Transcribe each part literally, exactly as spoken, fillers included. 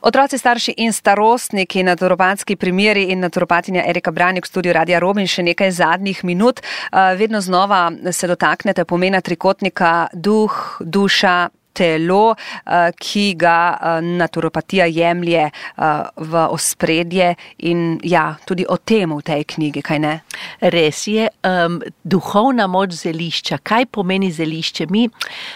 Otroci, starši in starostniki, naturopatski primeri in naturopatinja Erika Brajnik v studiu Radia Rovinj še nekaj zadnjih minut. Vedno znova se dotaknete pomena trikotnika duh, duša, telo, ki ga naturopatija jemlje v ospredje in ja, tudi o tem v tej knjigi, kaj ne? Res je, um, duhovna moč zelišča. Kaj pomeni zelišče? Mi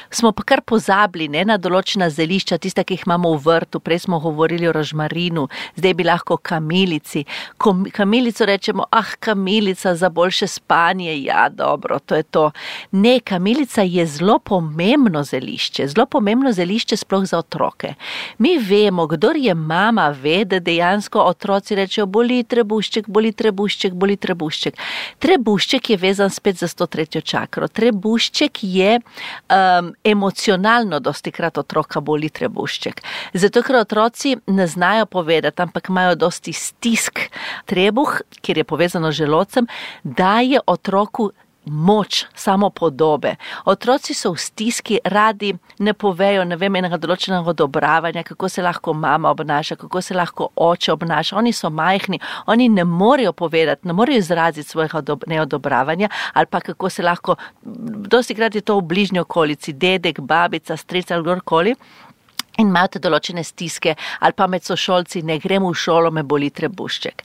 smo pa kar pozabili ne, na določena zelišča, tista, ki jih imamo v vrtu. Prej smo govorili o rožmarinu, zdaj bi lahko kamilici. Kom, kamilico rečemo, ah, kamilica za boljše spanje, ja, dobro, to je to. Ne, kamilica je zelo pomembno zelišče, zelo pomembno zelišče sploh za otroke. Mi vemo, kdor je mama, ve, da dejansko otroci rečejo, boli trebušček, boli trebušček, boli trebušček. Trebušček je vezan spet za sto tretjo čakro. Trebušček je um, emocionalno dostikrat otroka boli trebušček. Zato, ker otroci ne znajo povedati, ampak imajo dosti stisk. Trebuh, kjer je povezano z želodcem, daje otroku moč, samo podobe. Otroci so v stiski, radi ne povejo, ne vem, enega določenega odobravanja, kako se lahko mama obnaša, kako se lahko oče obnaša. Oni so majhni, oni ne morejo povedati, ne morejo izraziti svojega neodobravanja, ali pa kako se lahko, dostikrat je to v bližnji okolici, dedek, babica, stric ali kdorkoli. In imate določene stiske, ali pa med sošolci, ne grem v šolo, me boli trebušček.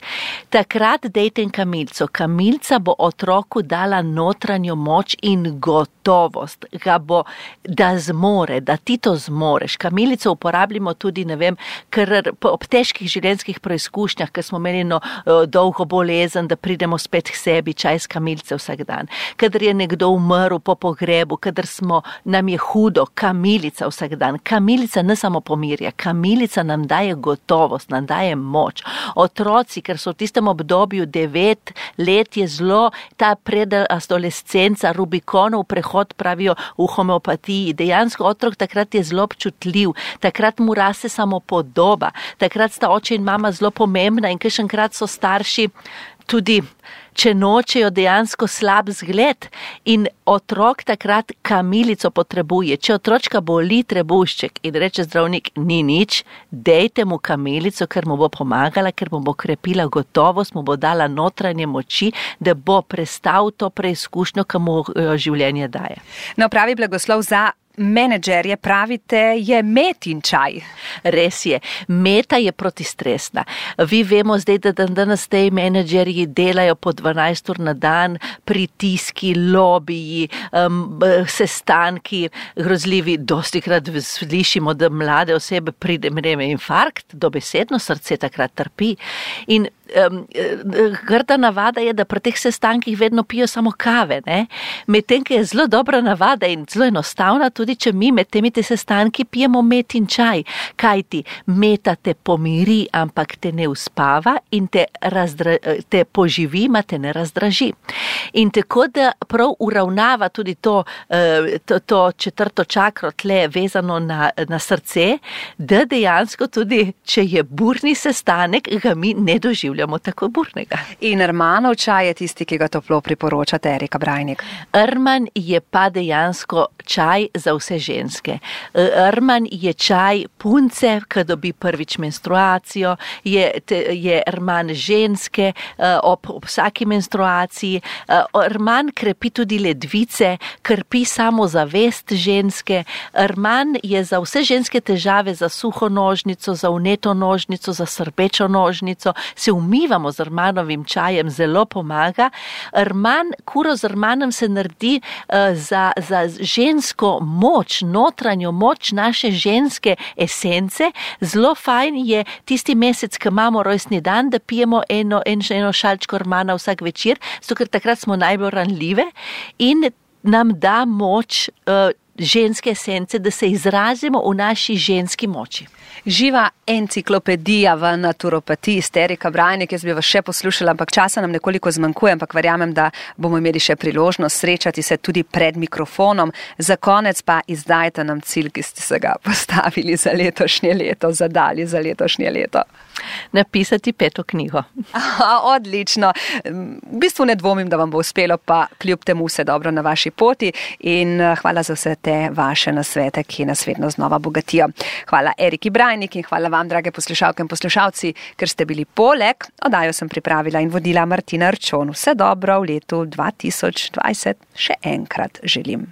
Takrat dejte kamilico. Kamilica bo otroku dala notranjo moč in gotovost, ga bo, da zmore, da ti to zmoreš. Kamilico uporabljamo tudi, ne vem, ker ob težkih življenjskih preizkušnjah, ker smo imeli no, dolgo bolezen, da pridemo spet k sebi, čaj s kamilice vsak dan. Kadar je nekdo umrl po pogrebu, kadar smo, nam je hudo, kamilica vsak dan. Kamilica ne samo pomirja. Kamilica nam daje gotovost, nam daje moč. Otroci, ker so v tistem obdobju devet let, je zelo ta predadolescenca, Rubikonov prehod, pravijo v homeopatiji. Dejansko otrok takrat je zelo občutljiv, takrat mu raste samo podoba, takrat sta oče in mama zelo pomembna in kakšenkrat so starši tudi, če nočejo dejansko slab zgled in otrok takrat kamilico potrebuje. Če otročka boli trebušček in reče zdravnik, ni nič, dejte mu kamilico, ker mu bo pomagala, ker mu bo krepila gotovost, mu bo dala notranje moči, da bo prestal to preizkušnjo, ki mu življenje daje. No, pravi blagoslov za menedžerje, pravite, je metin čaj. Res je. Meta je protistresna. Vi vemo zdaj, da dan danes te menedžerji delajo po dvanajst ur na dan, pritiski, lobiji, um, sestanki, grozljivi. Dostikrat slišimo, da mlade osebe pride mreme infarkt, dobesedno srce takrat trpi. In Um, grda navada je, da pri teh sestankih vedno pijo samo kave, ne? Medtem, ki je zelo dobra navada in zelo enostavna, tudi če mi med temi te sestanki pijemo metin čaj, kajti meta te pomiri, ampak te ne uspava in te, razdra, te poživi, ma te ne razdraži. In tako, da prav uravnava tudi to, to, to četrto čakro tle vezano na, na srce, da dejansko tudi, če je burni sestanek, ga mi ne doživljamo tako burnega. In Ermanov čaj je tisti, ki ga toplo priporočate, Erika Brajnik. Erman je pa dejansko čaj za vse ženske. Erman je čaj punce, ki dobi prvič menstruacijo, je, je Erman ženske ob, ob vsaki menstruaciji. Erman krepi tudi ledvice, krepi samo zavest ženske. Erman je za vse ženske težave, za suho nožnico, za vneto nožnico, za srbečo nožnico, se umivamo z Ermanovim čajem, zelo pomaga. Erman, kuro z Ermanom se naredi uh, za, za žensko moč, notranjo moč naše ženske esence. Zelo fajn je tisti mesec, ko imamo rojstni dan, da pijemo eno, en, eno šalčko Ermana vsak večer, zato ker takrat smo najbolj ranljive in nam da moč uh, ženske esence, da se izrazimo v naši ženski moči. Živa enciklopedija v naturopatiji, Erika Brajnik, jaz bi vas še poslušala, ampak časa nam nekoliko zmanjkuje, ampak verjamem, da bomo imeli še priložnost srečati se tudi pred mikrofonom. Za konec pa izdajte nam cilj, ki ste se ga postavili za letošnje leto, zadali za letošnje leto. napisati peto knjigo. Aha, odlično. V bistvu ne dvomim, da vam bo uspelo, pa kljub temu vse dobro na vaši poti in hvala za vse te vaše nasvete, ki nas vedno znova bogatijo. Hvala Eriki Brajnik in hvala vam, drage poslušalke in poslušalci, ker ste bili poleg. Oddajo sem pripravila in vodila Martina Arčon. Vse dobro v letu dva tisoč dvajset še enkrat želim.